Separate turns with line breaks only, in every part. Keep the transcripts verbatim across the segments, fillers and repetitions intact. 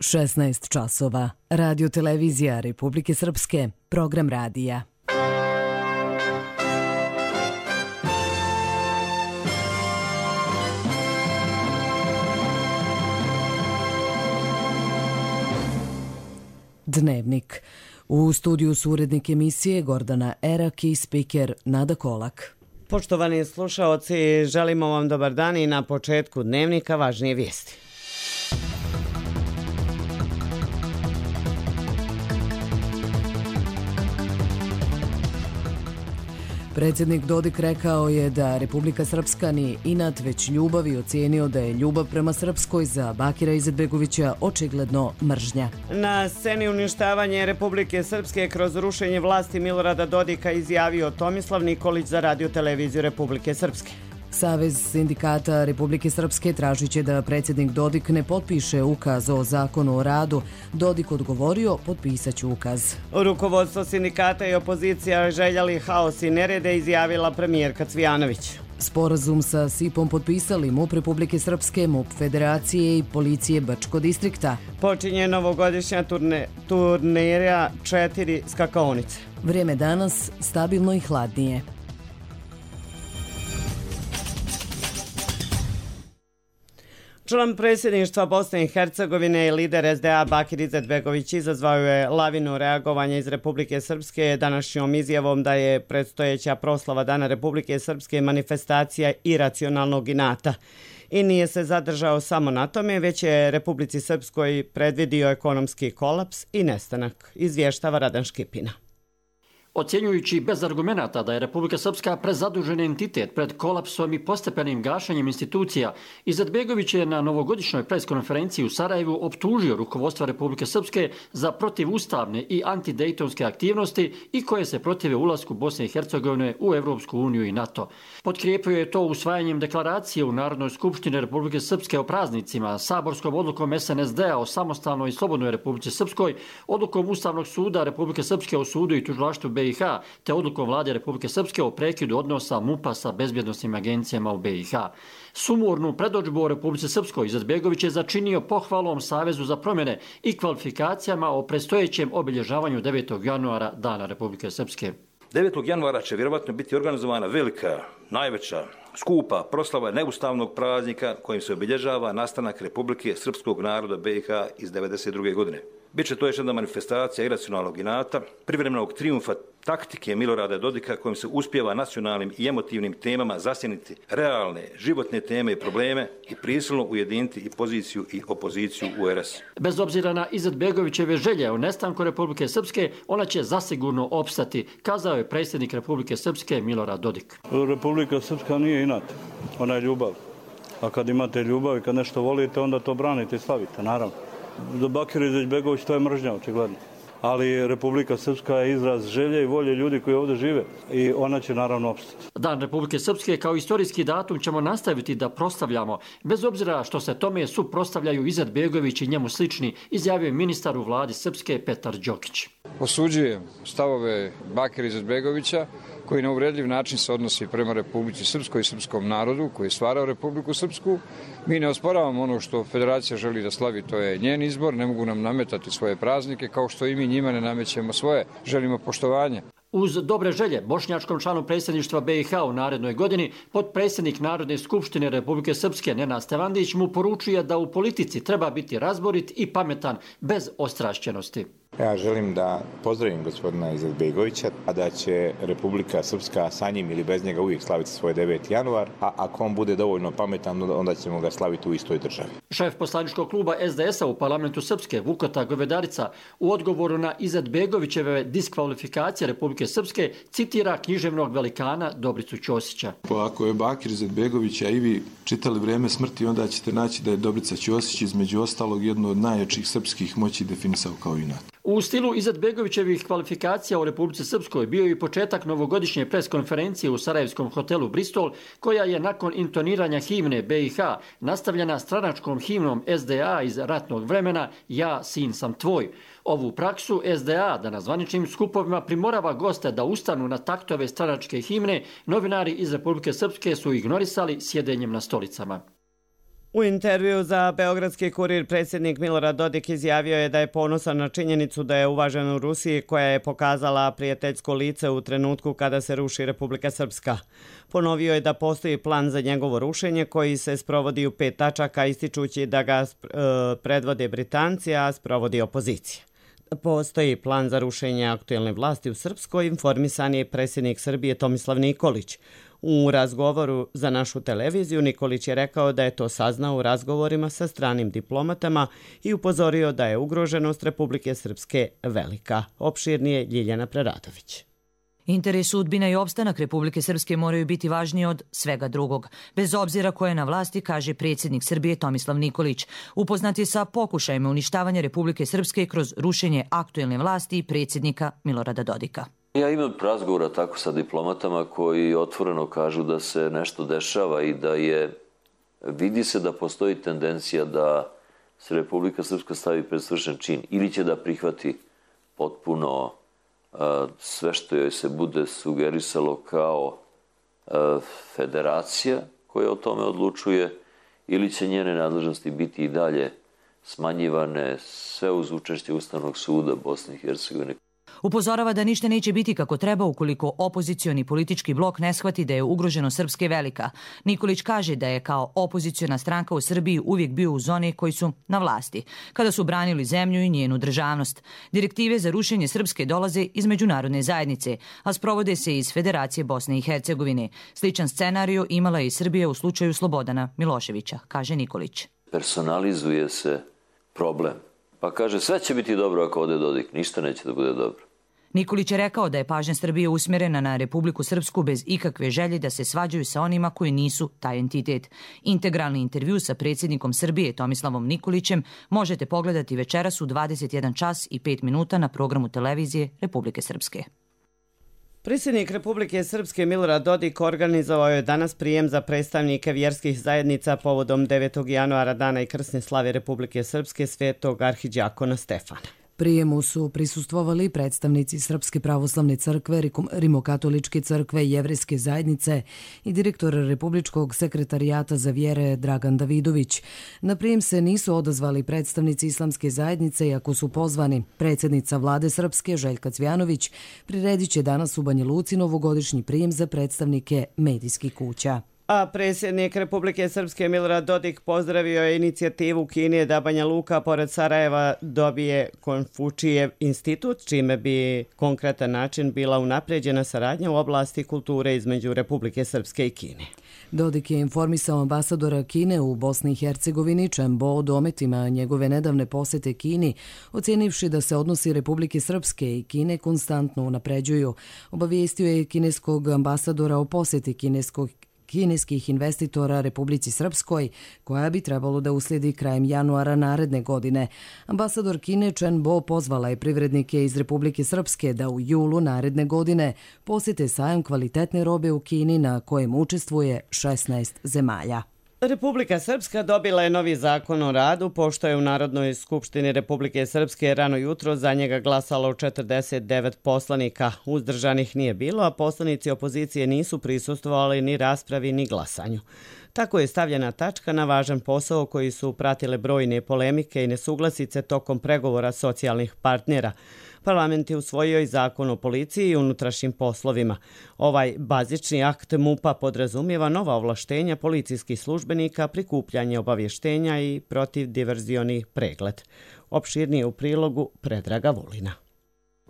šesnaest časova. Radio televizija Republike Srpske. Program radija. Dnevnik. U studiju su urednik emisije Gordana Erak i spiker Nada Kolak.
Poštovani slušaoci, želimo vam dobar dan i na početku dnevnika važnije vijesti.
Predsjednik Dodik rekao je da Republika Srpska nije inat, već ljubav i ocijenio da je ljubav prema Srpskoj za Bakira Izetbegovića očigledno mržnja.
Na sceni uništavanje Republike Srpske kroz rušenje vlasti Milorada Dodika izjavio Tomislav Nikolić za Radio televiziju Republike Srpske.
Savez sindikata Republike Srpske tražit će da predsjednik Dodik ne potpiše ukaz o zakonu o radu. Dodik odgovorio, potpisat ću ukaz.
Rukovodstvo sindikata i opozicija željeli haos i nerede, izjavila premijerka Cvijanović.
Sporazum sa S I P-om potpisali MUP Republike Srpske, MUP Federacije i Policije Brčko distrikta.
Počinje novogodišnja turne, turnira četiri skakaonice.
Vrijeme danas stabilno i hladnije.
Član predsjedništva Bosne i Hercegovine i lider S D A Bakir Izetbegović izazvao je lavinu reagovanja iz Republike Srpske današnjom izjavom da je predstojeća proslava Dana Republike Srpske manifestacija iracionalnog inata. I nije se zadržao samo na tome, već je Republici Srpskoj predvidio ekonomski kolaps i nestanak, izvještava Radan Škipina.
Ocjenjujući bez argumenata da je Republika Srpska prezadužen entitet pred kolapsom i postepenim gašenjem institucija, Izetbegović je na novogodišnjoj preskonferenciji u Sarajevu optužio rukovodstvo Republike Srpske za protivustavne i antidejtonske aktivnosti i koje se protive ulasku Bosne i Hercegovine u Evropsku uniju i NATO. Potkrijepio je to usvajanjem deklaracije u Narodnoj skupštini Republike Srpske o praznicima, saborskom odlukom S N S D-a o samostalnoj i slobodnoj Republici Srpskoj, odlukom Ustavnog suda Republike Srpske o sudu i tužilaštvu B i H, te odlukom vlade Republike Srpske o prekidu odnosa MUP-a sa bezbjednosnim agencijama u B i H. Sumornu predodžbu o Republici Srpskoj Izetbegović je začinio pohvalom Savezu za promjene i kvalifikacijama o predstojećem obilježavanju devetog januara Dana Republike Srpske.
devetog januara će vjerovatno biti organizovana velika, najveća, skupa proslava neustavnog praznika kojim se obilježava nastanak Republike Srpskog naroda B i H iz devedeset druge godine. Biće to još jedna manifestacija iracionalnog inata, privremenog trijumfa taktike Milorada Dodika kojim se uspijeva nacionalnim i emotivnim temama zasjeniti realne, životne teme i probleme i prisilno ujediniti i poziciju i opoziciju u R S.
Bez obzira na Izetbegovićeve želje o nestanku Republike Srpske, ona će zasigurno opstati, kazao je predsjednik Republike Srpske Milorad Dodik.
Republika Srpska nije inat, ona je ljubav. A kad imate ljubav i kad nešto volite, onda to branite i slavite, naravno. Za Bakira Izetbegović to je mržnja, očigledno. Ali Republika Srpska je izraz želje i volje ljudi koji ovdje žive i ona će naravno opstati.
Dan Republike Srpske kao istorijski datum ćemo nastaviti da proslavljamo, bez obzira što se tome suprotstavljaju Izetbegović i njemu slični, izjavio ministar u vladi Srpske Petar Đokić.
Osuđujem stavove Bakira Izetbegovića koji na uvredljiv način se odnosi prema Republici Srpskoj i srpskom narodu koji je stvarao Republiku Srpsku. Mi ne osporavamo ono što Federacija želi da slavi, to je njen izbor, ne mogu nam nametati svoje praznike kao što i mi njima ne namećemo svoje, želimo poštovanje.
Uz dobre želje bošnjačkom članu predsjedništva B i H u narednoj godini, potpredsjednik Narodne skupštine Republike Srpske Nenad Stevandić mu poručuje da u politici treba biti razborit i pametan bez ostrašćenosti.
Ja želim da pozdravim gospodina Izetbegovića, a da će Republika Srpska sa njim ili bez njega uvijek slaviti svoj deveti januar, a ako on bude dovoljno pametan, onda ćemo ga slaviti u istoj državi.
Šef poslaničkog kluba S D S-a u parlamentu Srpske, Vukota Govedarica, u odgovoru na Izetbegovićeve diskvalifikacije Republike Srpske citira književnog velikana Dobricu Ćosića.
Pa ako je Bakir Izetbegovića i vi čitali Vrijeme smrti, onda ćete naći da je Dobrica Ćosić između ostalog jedno od najjačih srpskih moći definisao kao inat.
U stilu Izetbegovićevih kvalifikacija u Republici Srpskoj bio i početak novogodišnje preskonferencije u sarajevskom hotelu Bristol, koja je nakon intoniranja himne B i H nastavljena stranačkom himnom S D A iz ratnog vremena Ja, sin sam tvoj. Ovu praksu S D A da na zvaničnim skupovima primorava goste da ustanu na taktove stranačke himne, novinari iz Republike Srpske su ignorisali sjedenjem na stolicama.
U intervju za Beogradski kurir predsjednik Milorad Dodik izjavio je da je ponosan na činjenicu da je uvažen u Rusiji koja je pokazala prijateljsko lice u trenutku kada se ruši Republika Srpska. Ponovio je da postoji plan za njegovo rušenje koji se sprovodi u pet tačaka ističući da ga predvode Britanci, a sprovodi opozicija. Postoji plan za rušenje aktuelne vlasti u Srpskoj, informisan je predsjednik Srbije Tomislav Nikolić. U razgovoru za našu televiziju Nikolić je rekao da je to saznao u razgovorima sa stranim diplomatama i upozorio da je ugroženost Republike Srpske velika. Opširnije Ljiljana Preradović.
Interes, sudbina i opstanak Republike Srpske moraju biti važniji od svega drugog. Bez obzira ko je na vlasti, kaže predsjednik Srbije Tomislav Nikolić. Upoznat je sa pokušajima uništavanja Republike Srpske kroz rušenje aktuelne vlasti i predsjednika Milorada Dodika.
Ja imam razgovora tako sa diplomatama koji otvoreno kažu da se nešto dešava i da je, vidi se da postoji tendencija da se Republika Srpska stavi pred svršen čin ili će da prihvati potpuno a, sve što joj se bude sugerisalo kao a, federacija koja o tome odlučuje ili će njene nadležnosti biti i dalje smanjivane sve uz učešće Ustavnog suda Bosne i Hercegovine.
Upozorava da ništa neće biti kako treba ukoliko opozicioni politički blok ne shvati da je ugroženo Srpske velika. Nikolić kaže da je kao opoziciona stranka u Srbiji uvijek bio u zoni koji su na vlasti, kada su branili zemlju i njenu državnost. Direktive za rušenje Srpske dolaze iz međunarodne zajednice, a sprovode se iz Federacije Bosne i Hercegovine. Sličan scenariju imala je i Srbija u slučaju Slobodana Miloševića, kaže Nikolić.
Personalizuje se problem. Pa kaže, sve će biti dobro ako ode Dodik, ništa neće da bude dobro.
Nikolić je rekao da je pažnja Srbije usmjerena na Republiku Srpsku bez ikakve želje da se svađaju sa onima koji nisu taj entitet. Integralni intervju sa predsjednikom Srbije Tomislavom Nikolićem možete pogledati večeras u dvadeset jedan čas i pet minuta na programu televizije Republike Srpske.
Predsjednik Republike Srpske Milorad Dodik organizovao je danas prijem za predstavnike vjerskih zajednica povodom devetog januara dana i krsne slave Republike Srpske svetog arhidijakona Stefana.
Prijemu su prisustvovali predstavnici Srpske pravoslavne crkve, Rimokatoličke crkve i Jevrejske zajednice i direktor Republičkog sekretarijata za vjere Dragan Davidović. Na prijem se nisu odazvali predstavnici Islamske zajednice, iako su pozvani. Predsjednica vlade Srpske Željka Cvjanović priredit će danas u Banja Luci novogodišnji prijem za predstavnike medijskih kuća.
A predsjednik Republike Srpske Milorad Dodik pozdravio je inicijativu Kine da Banja Luka pored Sarajeva dobije Konfučijev institut, čime bi konkretan način bila unapređena saradnja u oblasti kulture između Republike Srpske i Kine.
Dodik je informisao ambasadora Kine u Bosni i Hercegovini Chen Bo o dometima njegove nedavne posjete Kini, ocjenivši da se odnosi Republike Srpske i Kine konstantno unapređuju. Obavijestio je kineskog ambasadora o posjeti kineskog kineskih investitora Republici Srpskoj, koja bi trebalo da uslijedi krajem januara naredne godine. Ambasador Kine Chen Bo pozvala je privrednike iz Republike Srpske da u julu naredne godine posjete sajam kvalitetne robe u Kini na kojem učestvuje šesnaest zemalja.
Republika Srpska dobila je novi zakon o radu, pošto je u Narodnoj skupštini Republike Srpske rano jutro za njega glasalo četrdeset devet poslanika. Uzdržanih nije bilo, a poslanici opozicije nisu prisustvovali ni raspravi ni glasanju. Tako je stavljena tačka na važan posao koji su pratile brojne polemike i nesuglasice tokom pregovora socijalnih partnera. Parlament je usvojio i zakon o policiji i unutrašnjim poslovima. Ovaj bazični akt MUP-a podrazumijeva nova ovlaštenja policijskih službenika, prikupljanje obavještenja i protivdiverzioni pregled. Opširnije u prilogu Predraga Vulina.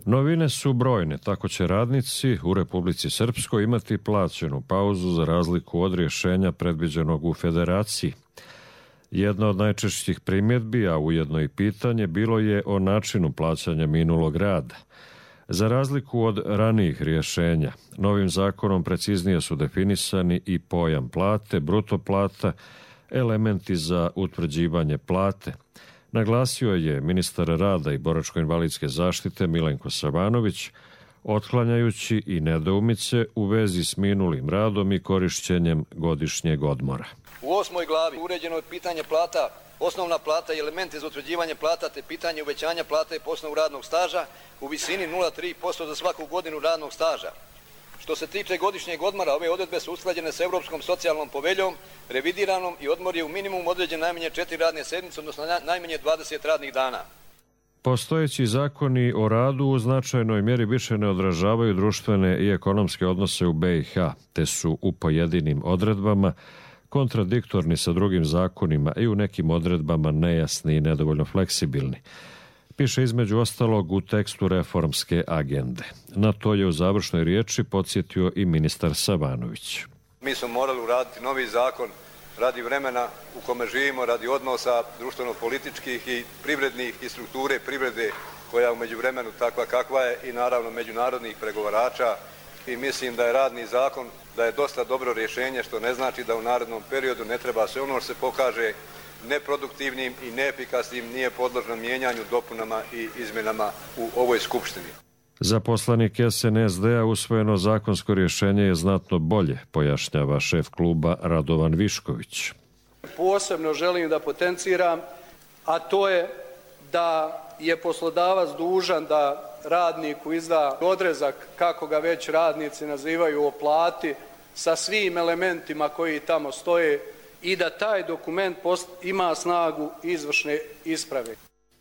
Novine su brojne, tako će radnici u Republici Srpskoj imati plaćenu pauzu za razliku od rješenja predviđenog u Federaciji. Jedna od najčešćih primjedbi, a ujedno i pitanje, bilo je o načinu plaćanja minulog rada. Za razliku od ranijih rješenja, novim zakonom preciznije su definisani i pojam plate, bruto plata, elementi za utvrđivanje plate. Naglasio je ministar rada i boračko-invalidske zaštite Milenko Savanović, otklanjajući i nedoumice u vezi s minulim radom i korišćenjem godišnjeg odmora.
U osmoj glavi uređeno je pitanje plata, osnovna plata i elementi za utvrđivanje plata te pitanje uvećanja plate po osnovu radnog staža u visini nula zarez tri posto za svaku godinu radnog staža. Što se tiče godišnjeg odmora, ove odredbe su usklađene s Europskom socijalnom poveljom, revidiranom i odmor je u minimum određen najmanje četiri radne sedmice, odnosno najmanje dvadeset radnih dana.
Postojeći zakoni o radu u značajnoj mjeri više ne odražavaju društvene i ekonomske odnose u B i H, te su u pojedinim odredbama kontradiktorni sa drugim zakonima i u nekim odredbama nejasni i nedovoljno fleksibilni. Piše između ostalog u tekstu reformske agende. Na to je u završnoj riječi podsjetio i ministar Savanović.
Mi smo morali uraditi novi zakon radi vremena u kome živimo, radi odnosa društveno-političkih i privrednih i strukture privrede koja u međuvremenu takva kakva je i naravno međunarodnih pregovarača. I mislim da je radni zakon, da je dosta dobro rješenje, što ne znači da u narednom periodu ne treba sve ono što se pokaže neproduktivnim i neefikasnim nije podložno mijenjanju, dopunama i izmjenama u ovoj skupštini.
Za poslanik S N S D-a usvojeno zakonsko rješenje je znatno bolje, pojašnjava šef kluba Radovan Višković.
Posebno želim da potenciram, a to je da je poslodavac dužan da radniku izda odrezak, kako ga već radnici nazivaju, o plati sa svim elementima koji tamo stoje i da taj dokument ima snagu izvršne isprave.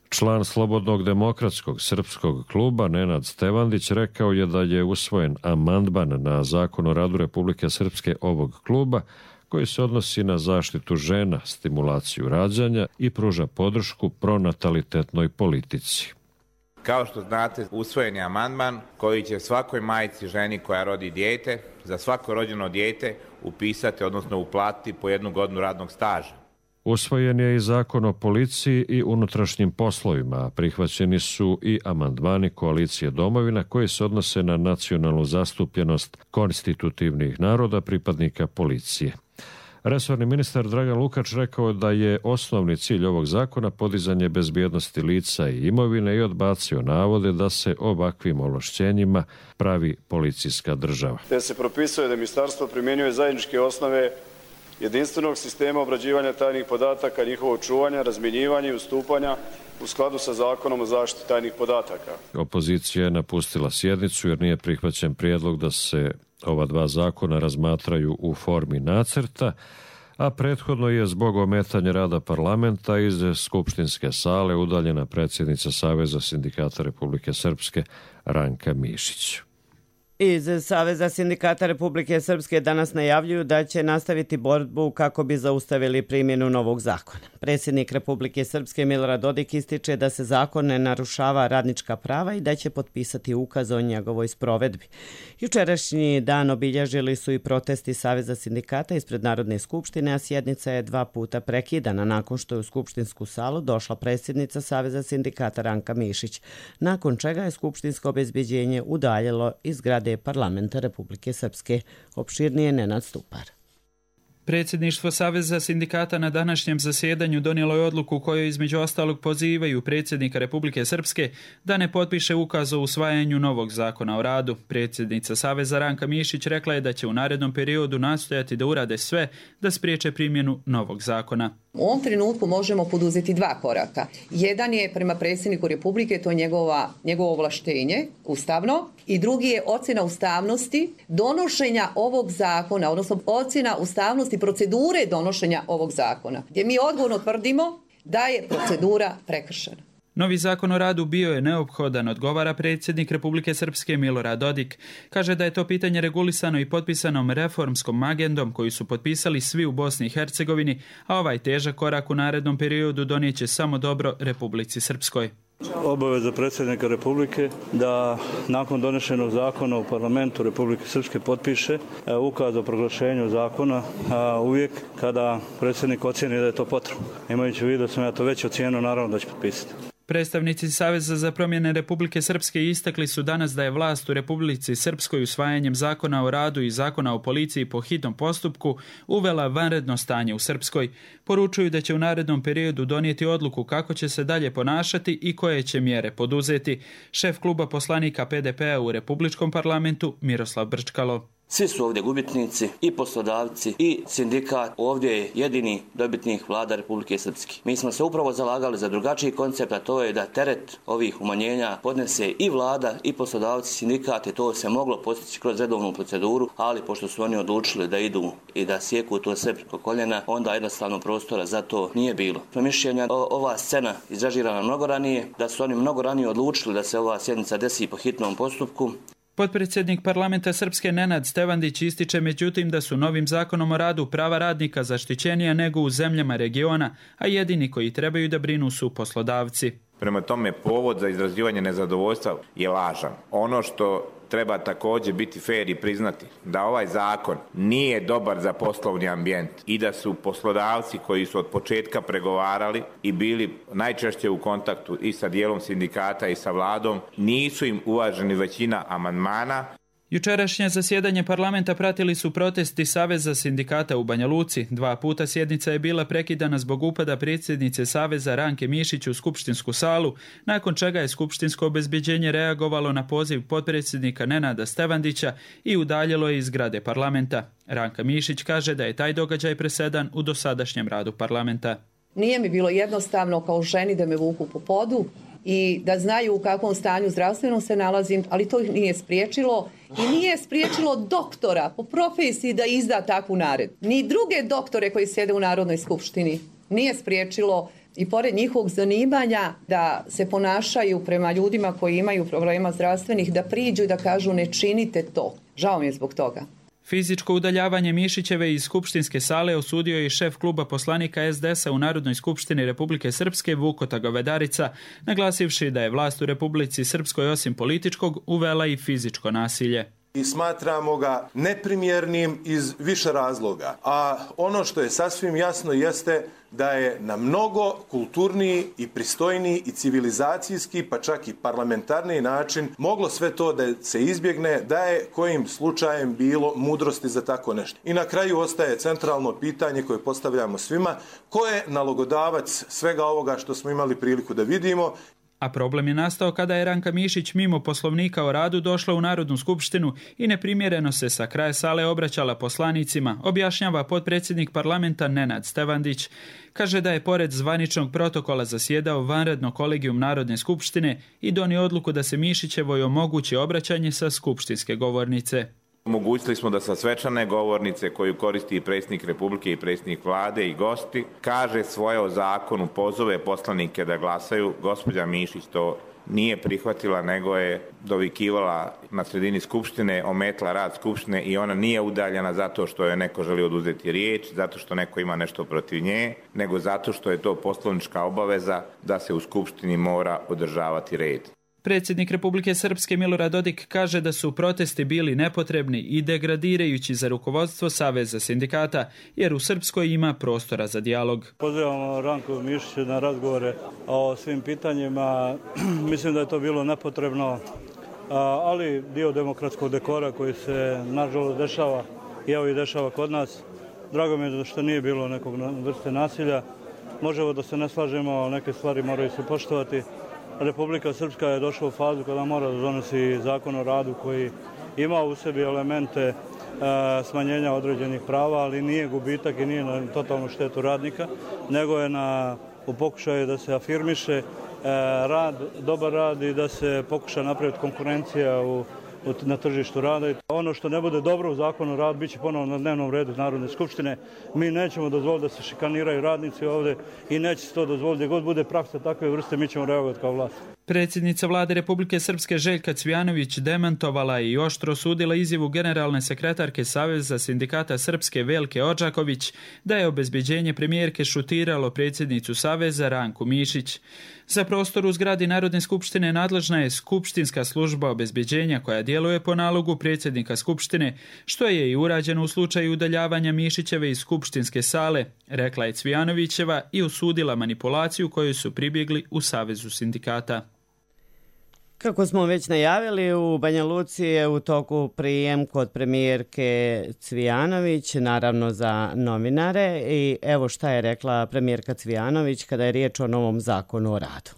Član Slobodnog demokratskog srpskog kluba Nenad Stevandić rekao je da je usvojen amandman na Zakon o radu Republike Srpske ovog kluba koji se odnosi na zaštitu žena, stimulaciju rađanja i pruža podršku pronatalitetnoj politici.
Kao što znate, usvojen je amandman koji će svakoj majci, ženi koja rodi dijete, za svako rođeno dijete upisati, odnosno uplatiti po jednu godinu radnog staža.
Usvojen je i Zakon o policiji i unutrašnjim poslovima, a prihvaćeni su i amandmani Koalicije domovina koji se odnose na nacionalnu zastupljenost konstitutivnih naroda pripadnika policije. Resorni ministar Dragan Lukač rekao da je osnovni cilj ovog zakona podizanje bezbjednosti lica i imovine i odbacio navode da se ovakvim ovlašćenjima pravi policijska država.
Te se propisuje da ministarstvo primjenjuje zajedničke osnove jedinstvenog sistema obrađivanja tajnih podataka, njihovog čuvanja, razmjenjivanja i ustupanja u skladu sa Zakonom o zaštiti tajnih podataka.
Opozicija je napustila sjednicu jer nije prihvaćen prijedlog da se ova dva zakona razmatraju u formi nacrta, a prethodno je zbog ometanja rada parlamenta iz skupštinske sale udaljena predsjednica Saveza sindikata Republike Srpske Ranka Mišić.
Iz Saveza sindikata Republike Srpske danas najavljuju da će nastaviti borbu kako bi zaustavili primjenu novog zakona. Predsjednik Republike Srpske Milorad Dodik ističe da se zakon ne narušava radnička prava i da će potpisati ukaz o njegovoj sprovedbi. Jučerašnji dan obilježili su i protesti Saveza sindikata ispred Narodne skupštine, a sjednica je dva puta prekidana nakon što je u skupštinsku salu došla predsjednica Saveza sindikata Ranka Mišić, nakon čega je skupštinsko obezbeđenje udaljilo iz zgrade Parlamenta Republike Srpske. Opširnije Nenad Stupar.
Predsjedništvo Saveza sindikata na današnjem zasjedanju donijelo je odluku u kojoj između ostalog pozivaju predsjednika Republike Srpske da ne potpiše ukaz o usvajanju novog zakona o radu. Predsjednica Saveza Ranka Mišić rekla je da će u narednom periodu nastojati da urade sve da spriječe primjenu novog zakona.
U ovom trenutku možemo poduzeti dva koraka. Jedan je prema predsjedniku Republike, to je njegova, njegovo ovlaštenje ustavno, i drugi je ocjena ustavnosti donošenja ovog zakona, odnosno ocjena ustavnosti procedure donošenja ovog zakona, gdje mi odgovorno tvrdimo da je procedura prekršena.
Novi zakon o radu bio je neophodan, odgovara predsjednik Republike Srpske Milorad Dodik. Kaže da je to pitanje regulisano i potpisanom reformskom agendom koju su potpisali svi u Bosni i Hercegovini, a ovaj težak korak u narednom periodu donijeće samo dobro Republici Srpskoj.
Obaveza predsjednika Republike da nakon donešenog zakona u parlamentu Republike Srpske potpiše ukaz o proglašenju zakona uvijek kada predsjednik ocijeni da je to potrebno. Imajući u vidu da sam ja to već ocijenio, naravno da će potpisati.
Predstavnici Saveza za promjene Republike Srpske istakli su danas da je vlast u Republici Srpskoj usvajanjem zakona o radu i zakona o policiji po hitnom postupku uvela vanredno stanje u Srpskoj. Poručuju da će u narednom periodu donijeti odluku kako će se dalje ponašati i koje će mjere poduzeti. Šef kluba poslanika P D P-a u Republičkom parlamentu Miroslav Brčkalo.
Svi su ovdje gubitnici, i poslodavci, i sindikat. Ovdje je jedini dobitnik vlada Republike Srpske. Mi smo se upravo zalagali za drugačiji koncept, a to je da teret ovih umanjenja podnese i vlada, i poslodavci, sindikat, i to se moglo postići kroz redovnu proceduru, ali pošto su oni odlučili da idu i da sjeku to sve preko koljena, onda jednostavno prostora za to nije bilo. Po mišljenja ova scena izražirana mnogo ranije, da su oni mnogo ranije odlučili da se ova sjednica desi po hitnom postupku.
Potpredsjednik parlamenta Srpske Nenad Stevandić ističe međutim da su novim zakonom o radu prava radnika zaštićenija nego u zemljama regiona, a jedini koji trebaju da brinu su poslodavci.
Prema tome, povod za izrazivanje nezadovoljstva je lažan. Ono što treba također biti fair i priznati da ovaj zakon nije dobar za poslovni ambijent i da su poslodavci koji su od početka pregovarali i bili najčešće u kontaktu i sa dijelom sindikata i sa vladom, nisu im uvaženi većina amandmana.
Jučerašnje zasjedanje parlamenta pratili su protesti Saveza sindikata u Banja Luci. Dva puta sjednica je bila prekidana zbog upada predsjednice Saveza Ranke Mišić u skupštinsku salu, nakon čega je skupštinsko obezbeđenje reagovalo na poziv potpredsjednika Nenada Stevandića i udaljilo je iz zgrade parlamenta. Ranka Mišić kaže da je taj događaj presedan u dosadašnjem radu parlamenta.
Nije mi bilo jednostavno kao ženi da me vuku po podu i da znaju u kakvom stanju zdravstvenom se nalazim, ali to ih nije spriječilo i nije spriječilo doktora po profesiji da izda takvu naredbu. Ni druge doktore koji sjede u Narodnoj skupštini nije spriječilo i pored njihovog zanimanja da se ponašaju prema ljudima koji imaju problema zdravstvenih, da priđu i da kažu ne činite to. Žao mi je zbog toga.
Fizičko udaljavanje Mišićeve iz skupštinske sale osudio je i šef kluba poslanika es de es-a u Narodnoj skupštini Republike Srpske Vukota Govedarica, naglasivši da je vlast u Republici Srpskoj osim političkog uvela i fizičko nasilje.
I smatramo ga neprimjernim iz više razloga. A ono što je sasvim jasno jeste da je na mnogo kulturniji i pristojniji i civilizacijski, pa čak i parlamentarni način moglo sve to da se izbjegne, da je kojim slučajem bilo mudrosti za tako nešto. I na kraju ostaje centralno pitanje koje postavljamo svima, ko je nalogodavac svega ovoga što smo imali priliku da vidimo.
A problem je nastao kada je Ranka Mišić mimo poslovnika o radu došla u Narodnu skupštinu i neprimjereno se sa kraja sale obraćala poslanicima, objašnjava potpredsjednik parlamenta Nenad Stevandić. Kaže da je pored zvaničnog protokola zasjedao vanredno kolegijum Narodne skupštine i donio odluku da se Mišićevoj omogući obraćanje sa skupštinske govornice.
Omogućili smo da sa svečane govornice koju koristi i predsjednik Republike i predsjednik vlade i gosti, kaže svoje o zakonu, pozove poslanike da glasaju. Gospođa Mišić to nije prihvatila, nego je dovikivala na sredini skupštine, ometla rad skupštine i ona nije udaljena zato što je neko želi oduzeti riječ, zato što neko ima nešto protiv nje, nego zato što je to poslovnička obaveza da se u skupštini mora održavati red.
Predsjednik Republike Srpske Milorad Dodik kaže da su protesti bili nepotrebni i degradirajući za rukovodstvo Saveza sindikata, jer u Srpskoj ima prostora za dijalog.
Pozivamo Ranku Mišića na razgovore o svim pitanjima. Mislim da je to bilo nepotrebno, ali dio demokratskog dekora koji se nažalost dešava i evo i dešava kod nas. Drago mi je što nije bilo nekog vrste nasilja. Možemo da se ne slažemo, ali neke stvari moraju se poštovati. Republika Srpska je došla u fazu kada mora da donosi zakon o radu koji ima u sebi elemente e, smanjenja određenih prava, ali nije gubitak i nije na totalnu štetu radnika, nego je na, u pokušaju da se afirmiše e, rad, dobar rad i da se pokuša napraviti konkurencija u na tržištu rada. Ono što ne bude dobro u zakonu o radu bit će ponovno na dnevnom redu Narodne skupštine. Mi nećemo dozvoliti da se šikaniraju radnici ovdje i neće se to dozvoliti. Gdje god bude praksa takve vrste, mi ćemo reagovati kao vlast.
Predsjednica vlade Republike Srpske Željka Cvijanović demantovala i oštro osudila izjavu generalne sekretarke Saveza sindikata Srpske Velke Odžaković da je obezbeđenje premijerke šutiralo predsjednicu Saveza Ranku Mišić. Za prostor u zgradi Narodne skupštine nadležna je skupštinska služba obezbeđenja koja djeluje po nalogu predsjednika skupštine, što je i urađeno u slučaju udaljavanja Mišićeve iz skupštinske sale, rekla je Cvijanovićeva i osudila manipulaciju koju su pribjegli u Savezu sindikata.
Kako smo već najavili, u Banja Luci je u toku prijem kod premijerke Cvijanović, naravno za novinare. I evo šta je rekla premijerka Cvijanović kada je riječ o novom zakonu o radu.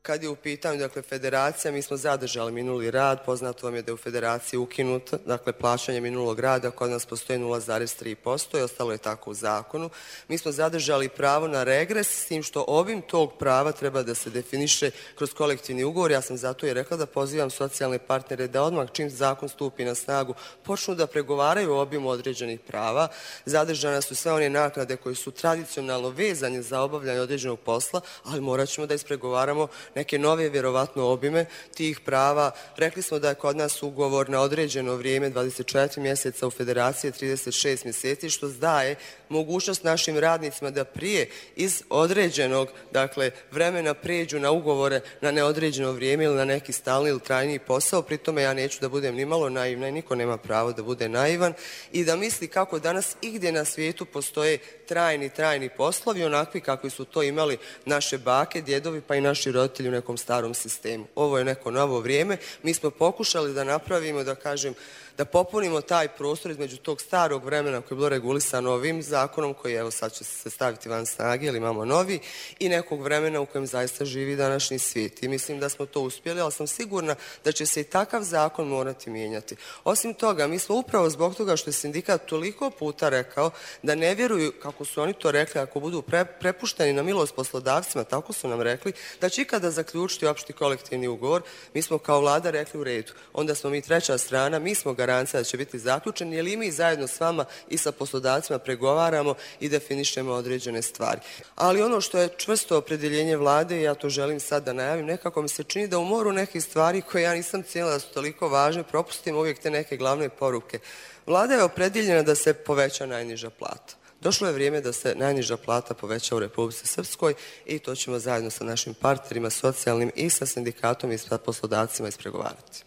Kad je u pitanju, dakle, federacija, mi smo zadržali minuli rad, poznato vam je da je u federaciji ukinuto, dakle, plaćanje minulog rada, kod nas postoji nula zarez tri posto i ostalo je tako u zakonu. Mi smo zadržali pravo na regres, s tim što obim tog prava treba da se definiše kroz kolektivni ugovor. Ja sam zato i rekla da pozivam socijalne partnere da odmah čim zakon stupi na snagu počnu da pregovaraju o obimu određenih prava. Zadržane su sve one naknade koje su tradicionalno vezane za obavljanje određenog posla, ali morat ćemo da ispregovaramo neke nove, vjerovatno, obime tih prava. Rekli smo da je kod nas ugovor na određeno vrijeme dvadeset četiri mjeseca, u federaciji trideset šest mjeseci, što daje mogućnost našim radnicima da prije iz određenog, dakle, vremena pređu na ugovore na neodređeno vrijeme ili na neki stalni ili trajniji posao. Pri tome ja neću da budem nimalo naivna i niko nema pravo da bude naivan i da misli kako danas igdje na svijetu postoje trajni, trajni poslovi, onakvi kakvi su to imali naše bake, djedovi pa i naši roditelji u nekom starom sistemu. Ovo je neko novo vrijeme. Mi smo pokušali da napravimo, da kažem, da popunimo taj prostor između tog starog vremena koje je bilo regulisano ovim zakonom, koji evo sad će se staviti van snage, ili imamo novi, i nekog vremena u kojem zaista živi današnji svijet. I mislim da smo to uspjeli, ali sam sigurna da će se i takav zakon morati mijenjati. Osim toga, mi smo upravo zbog toga što je sindikat toliko puta rekao da ne vjeruju, kako su oni to rekli, ako budu pre, prepušteni na milost poslodavcima, tako su nam rekli, da će ikada zaključiti opšti kolektivni ugovor. Mi smo kao vlada rekli u redu. Onda smo mi treća strana, mi smo garancija da će biti zaključen, jer i mi zajedno s vama i sa poslodavcima pregovaramo i definišemo određene stvari. Ali ono što je čvrsto opredjeljenje vlade, ja to želim sad da najavim, nekako mi se čini da u moru nekih stvari koje ja nisam cijenila da su toliko važne, propustimo uvijek te neke glavne poruke. Vlada je opredjeljena da se poveća najniža plata. Došlo je vrijeme da se najniža plata poveća u Republici Srpskoj i to ćemo zajedno sa našim partnerima socijalnim i sa sindikatom i sa poslodavcima ispregovarati.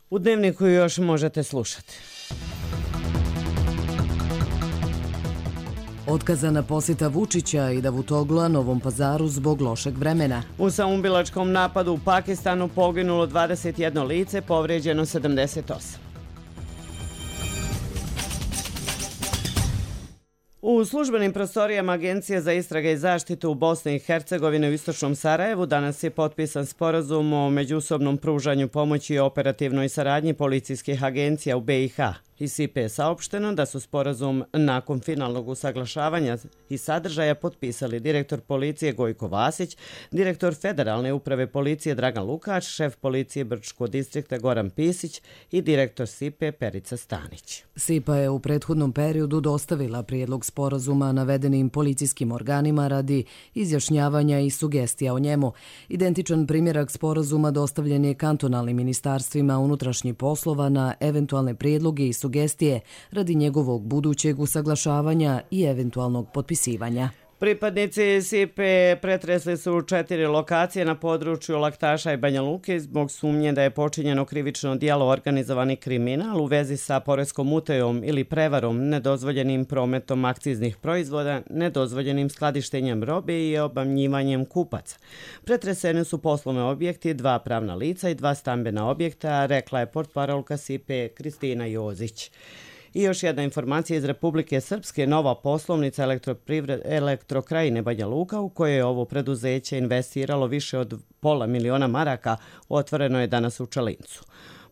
U Dnevniku još možete slušati.
Otkazana posjeta Vučića i Davutogla Novom Pazaru zbog lošeg vremena.
U samoubilačkom napadu u Pakistanu poginulo dvadeset jedno lice, povrijeđeno sedamdeset osam. U službenim prostorijama Agencije za istrage i zaštitu u Bosni i Hercegovini u istočnom Sarajevu danas je potpisan sporazum o međusobnom pružanju pomoći i operativnoj saradnji policijskih agencija u B i H. Iz S I P je saopšteno da su sporazum nakon finalnog usaglašavanja i sadržaja potpisali direktor policije Gojko Vasić, direktor Federalne uprave policije Dragan Lukač, šef policije Brčkog distrikta Goran Pisić i direktor S I P Perica Stanić.
S I P A je u prethodnom periodu dostavila prijedlog sporazuma navedenim policijskim organima radi izjašnjavanja i sugestija o njemu. Identičan primjerak sporazuma dostavljen je kantonalnim ministarstvima unutrašnjih poslova na eventualne prijedloge i sugestije radi njegovog budućeg usaglašavanja i eventualnog potpisivanja.
Pripadnici S I P pretresli su četiri lokacije na području Laktaša i Banja Luke zbog sumnje da je počinjeno krivično djelo organizovani kriminal u vezi sa poreskom utajom ili prevarom, nedozvoljenim prometom akciznih proizvoda, nedozvoljenim skladištenjem robe i obmanjivanjem kupaca. Pretreseni su poslovne objekti, dva pravna lica i dva stambena objekta, rekla je portparolka S I P Kristina Jozić. I još jedna informacija iz Republike Srpske, nova poslovnica Elektrokrajine Banja Luka, u kojoj je ovo preduzeće investiralo više od pola miliona maraka, otvoreno je danas u Čalincu.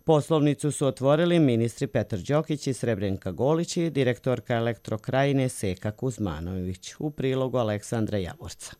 Poslovnicu su otvorili ministri Petar Đokić i Srebrenka Golić i direktorka Elektrokrajine Seka Kuzmanović, u prilogu Aleksandra Javorca.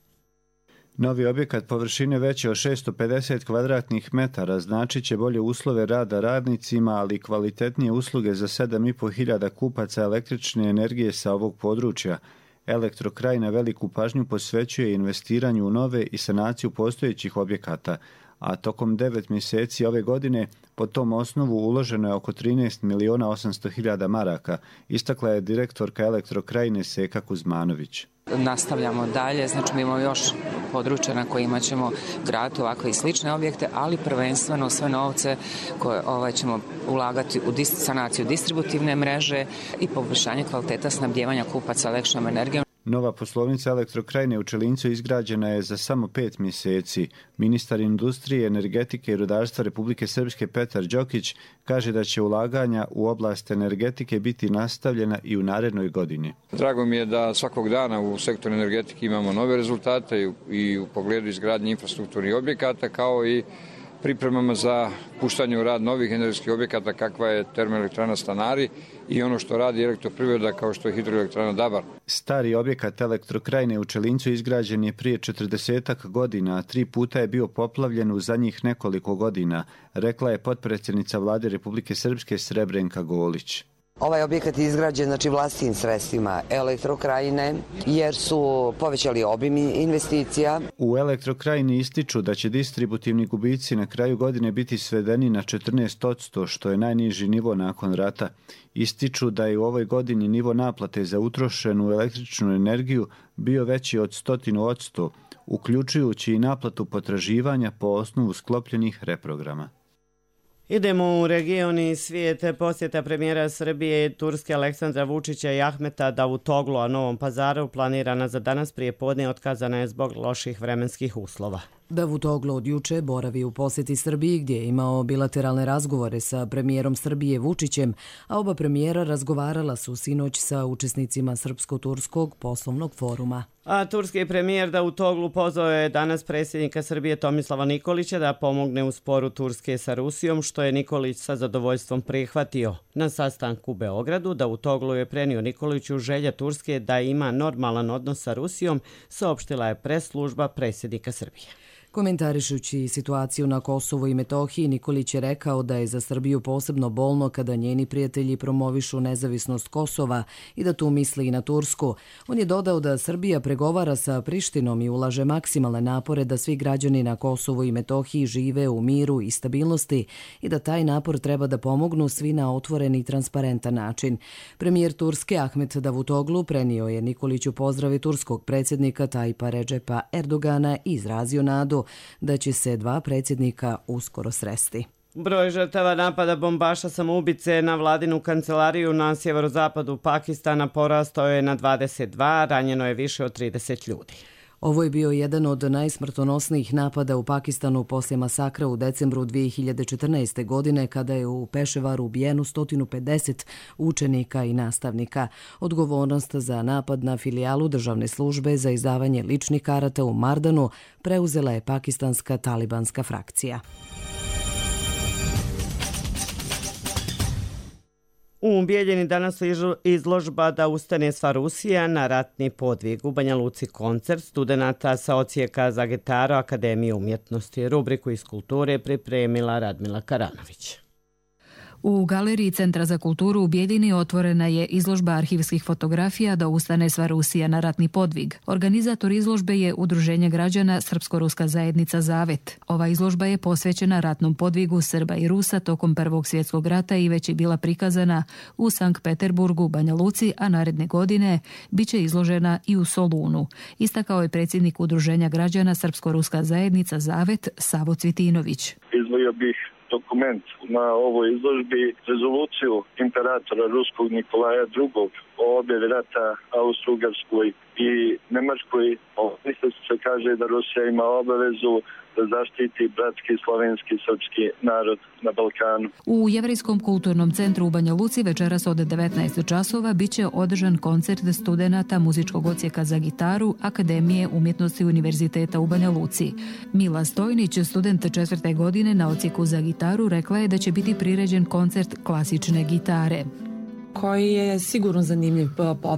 Novi objekat površine veće od šesto pedeset kvadratnih metara značit će bolje uslove rada radnicima, ali i kvalitetnije usluge za sedam i po hiljada kupaca električne energije sa ovog područja. Elektrokrajina veliku pažnju posvećuje investiranju u nove i sanaciju postojećih objekata, a tokom devet mjeseci ove godine po tom osnovu uloženo je oko trinaest miliona osamsto hiljada maraka, istakla je direktorka Elektrokrajine Seka Kuzmanović.
Nastavljamo dalje, znači mi imamo još područja na kojima ćemo graditi ovakve i slične objekte, ali prvenstveno sve novce koje ovaj, ćemo ulagati u dis- sanaciju distributivne mreže i poboljšanje kvaliteta snabdijevanja kupaca električnom energijom.
Nova poslovnica Elektrokrajine u Čelincu izgrađena je za samo pet mjeseci. Ministar industrije, energetike i rudarstva Republike Srpske Petar Đokić kaže da će ulaganja u oblast energetike biti nastavljena i u narednoj godini.
Drago mi je da svakog dana u sektoru energetike imamo nove rezultate i u, i u pogledu izgradnje infrastrukturnih objekata, kao i pripremama za puštanje u rad novih energetskih objekata kakva je termoelektrana Stanari i ono što radi elektroprivreda kao što je hidroelektrana Dabar.
Stari objekat Elektrokrajine u Čelincu izgrađen je prije četrdesetak godina, a tri puta je bio poplavljen u zadnjih nekoliko godina, rekla je potpredsjednica Vlade Republike Srpske Srebrenka Golić.
Ovaj objekat je izgrađen znači vlastitim sredstvima Elektrokrajine jer su povećali obim investicija.
U Elektrokrajini ističu da će distributivni gubici na kraju godine biti svedeni na četrnaest posto, što je najniži nivo nakon rata. Ističu da je u ovoj godini nivo naplate za utrošenu električnu energiju bio veći od sto posto, uključujući i naplatu potraživanja po osnovu sklopljenih reprograma.
Idemo u region i svijete. Posjeta premijera Srbije i Turske Aleksandra Vučića i Ahmeta Davutoglu a Novom Pazaru planirana za danas prije podne otkazana je zbog loših vremenskih uslova.
Davutoglu od juče boravi u posjeti Srbiji gdje je imao bilateralne razgovore sa premijerom Srbije Vučićem, a oba premijera razgovarala su sinoć sa učesnicima Srpsko-Turskog poslovnog foruma.
A turski premijer Davutoglu pozvao je danas predsjednika Srbije Tomislava Nikolića da pomogne u sporu Turske sa Rusijom, što je Nikolić sa zadovoljstvom prihvatio. Na sastanku u Beogradu Davutoglu je prenio Nikoliću želja Turske da ima normalan odnos sa Rusijom, saopštila je pres služba predsjednika Srbije.
Komentarišući situaciju na Kosovu i Metohiji, Nikolić je rekao da je za Srbiju posebno bolno kada njeni prijatelji promovišu nezavisnost Kosova i da tu misli i na Tursku. On je dodao da Srbija pregovara sa Prištinom i ulaže maksimalne napore da svi građani na Kosovu i Metohiji žive u miru i stabilnosti i da taj napor treba da pomognu svi na otvoren i transparentan način. Premijer Turske Ahmet Davutoglu prenio je Nikoliću pozdrave turskog predsjednika Tajpa Redžepa Erdogana i izrazio nadu da će se dva predsjednika uskoro sresti.
Broj žrtava napada bombaša samoubice na vladinu kancelariju na sjeverozapadu Pakistana porastao je na dvadeset dva, ranjeno je više od trideset ljudi.
Ovo je bio jedan od najsmrtonosnijih napada u Pakistanu poslije masakra u decembru dvije hiljade četrnaeste. godine kada je u Peševaru ubijeno sto pedeset učenika i nastavnika. Odgovornost za napad na filijalu državne službe za izdavanje ličnih karata u Mardanu preuzela je pakistanska talibanska frakcija.
U Bijeljini danas izložba Da ustane sva Rusija na ratni podvig. U Banja Luci koncert studenata sa ocijeka za gitaru Akademije umjetnosti. Rubriku iz kulture pripremila Radmila Karanović.
U galeriji Centra za kulturu u Bijeljini otvorena je izložba arhivskih fotografija Da ustane sva Rusija na ratni podvig. Organizator izložbe je Udruženje građana Srpsko-ruska zajednica Zavet. Ova izložba je posvećena ratnom podvigu Srba i Rusa tokom Prvog svjetskog rata i već je bila prikazana u Sankt Peterburgu, Banja Luci, a naredne godine biće izložena i u Solunu. Istakao je predsjednik Udruženja građana Srpsko-ruska zajednica Zavet Savo Cvitinović.
Izvojio bih dokument na ovoj izložbi rezoluciju imperatora ruskog Nikolaja drugog o objavi rata Austro-Ugarskoj i Nemačkoj. Isto se kaže da Rusija ima obavezu da zaštiti bratski slovenski srpski narod na Balkanu.
U Jevrejskom kulturnom centru u Banja Luci večeras od devetnaest časova biće održan koncert studenata muzičkog ocijeka za gitaru Akademije umjetnosti Univerziteta u Banja Luci. Mila Stojnić, student četvrte godine na ocijeku za gitaru, rekla je da će biti priređen koncert klasične gitare,
koji je sigurno zanimljiv,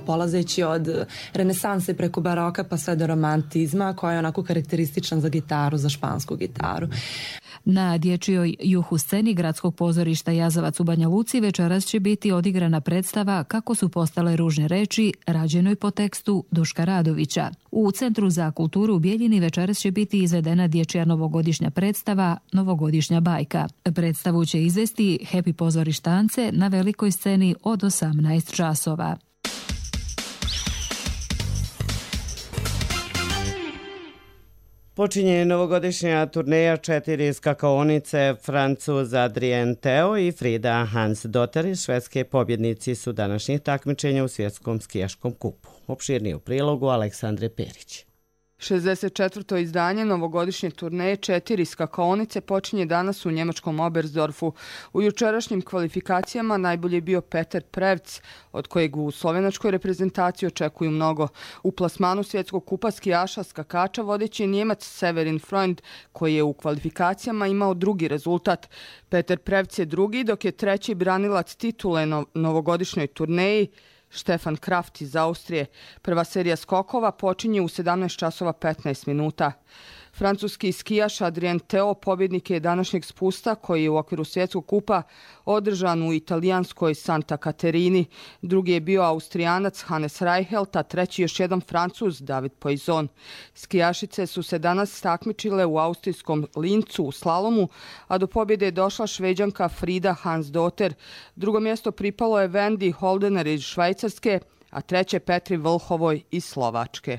polazeći od renesanse preko baroka pa sve do romantizma, koja je onako karakterističan za gitaru, za špansku gitaru.
Na dječjoj juhu sceni Gradskog pozorišta Jazavac u Banja Luci večeras će biti odigrana predstava Kako su postale ružne reči, rađenoj po tekstu Duška Radovića. U Centru za kulturu u Bijeljini večeras će biti izvedena dječja novogodišnja predstava Novogodišnja bajka. Predstavu će izvesti Happy pozorištance na velikoj sceni od osamnaest časova.
Počinje novogodišnja turneja četiri skakaonice. Francuz Adrien Theo i Frida Hansdotter iz Švedske pobjednici su današnjih takmičenja u svjetskom skijaškom kupu. Opširnije u prilogu Aleksandre Perić.
šezdeset četvrto izdanje novogodišnje turneje četiri skakaonice počinje danas u njemačkom Oberstdorfu. U jučerašnjim kvalifikacijama najbolji je bio Peter Prevc, od kojeg u slovenačkoj reprezentaciji očekuju mnogo. U plasmanu svjetskog kupa skijaša skakača vodeći je Njemac Severin Freund, koji je u kvalifikacijama imao drugi rezultat. Peter Prevc je drugi, dok je treći branilac titule na novogodišnjoj turneji Stefan Kraft iz Austrije. Prva serija skokova počinje u sedamnaest časova petnaest minuta. Francuski skijaš Adrien Theo pobjednik je današnjeg spusta koji je u okviru svjetskog kupa održan u italijanskoj Santa Caterini. Drugi je bio Austrijanac Hannes Reichelt, a treći još jedan Francuz David Poisson. Skijašice su se danas takmičile u austrijskom Lincu u slalomu, a do pobjede je došla Šveđanka Frida Hansdotter. Drugo mjesto pripalo je Wendy Holdener iz Švajcarske, a treće Petri Vlhovoj iz Slovačke.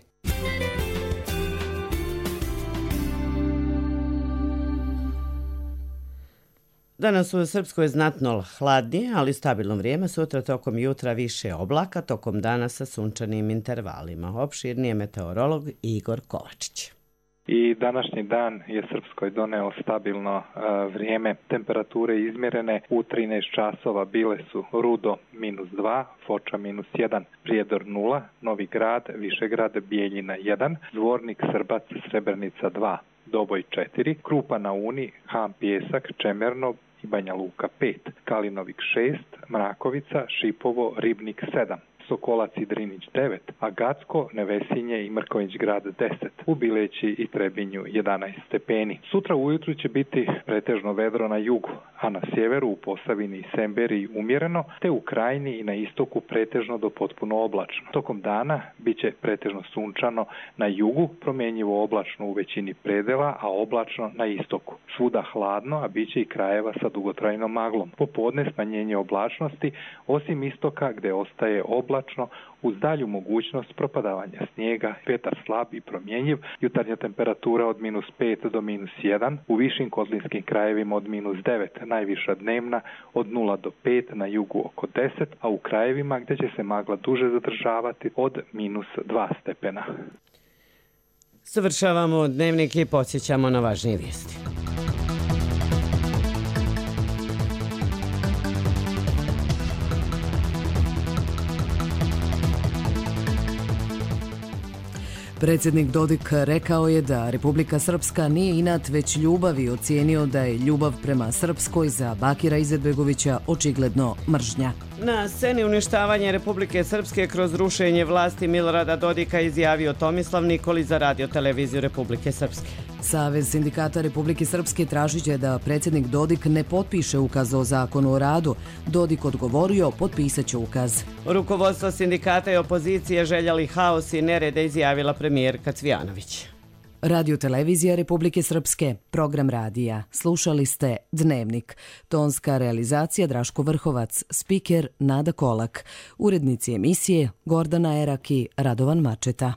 Danas u Srpskoj znatno hladnije, ali stabilno vrijeme. Sutra tokom jutra više oblaka, tokom dana sa sunčanim intervalima. Opširnije meteorolog Igor Kovačić.
I današnji dan je Srpskoj doneo stabilno uh, vrijeme. Temperature izmjerene u trinaest časova bile su Rudo minus dva, Foča minus jedan, Prijedor nula, Novi Grad, Višegrad, Bijeljina jedan, Zvornik, Srbac, Srebrenica dva, Doboj četiri, Krupa na Uni, Ham Pijesak, Čemerno i Banja Luka pet, Kalinovik šest, Mrakovica, Šipovo, Ribnik sedam, Sokolac i Drinić devet, a Gacko, Nevesinje i Mrković grad deset, u Bileći i Trebinju jedanaest stepeni. Sutra ujutru će biti pretežno vedro na jugu, a na sjeveru u Posavini i Semberiji umjereno, te u Krajini i na istoku pretežno do potpuno oblačno. Tokom dana bit će pretežno sunčano na jugu, promjenjivo oblačno u većini predela, a oblačno na istoku. Svuda hladno, a bit će i krajeva sa dugotrajnom maglom. Popodne smanjenje oblačnosti, osim istoka gdje ostaje oblačno, uz dalju mogućnost propadavanja snijega, vjetar slab i promjenjiv, jutarnja temperatura od minus pet do minus jedan, u višim kotlinskim krajevima od minus devet, najviša dnevna od nula do pet, na jugu oko deset, a u krajevima gdje će se magla duže zadržavati od minus dva stepena.
Završavamo dnevnik i podsjećamo na važnije vijesti.
Predsjednik Dodik rekao je da Republika Srpska nije inat već ljubav i ocijenio da je ljubav prema Srpskoj za Bakira Izetbegovića očigledno mržnja.
Na sceni uništavanje Republike Srpske kroz rušenje vlasti Milorada Dodika izjavio Tomislav Nikolić za Radio televiziju Republike Srpske.
Savez sindikata Republike Srpske tražit će da predsjednik Dodik ne potpiše ukaz o zakonu o radu. Dodik odgovorio, potpisat će ukaz.
Rukovodstvo sindikata i opozicije željeli haos i nerede, izjavila premijerka Cvijanović.
Radio televizija Republike Srpske, program radija. Slušali ste Dnevnik. Tonska realizacija Draško Vrhovac, spiker Nada Kolak. Urednici emisije Gordana Erak i Radovan Mačeta.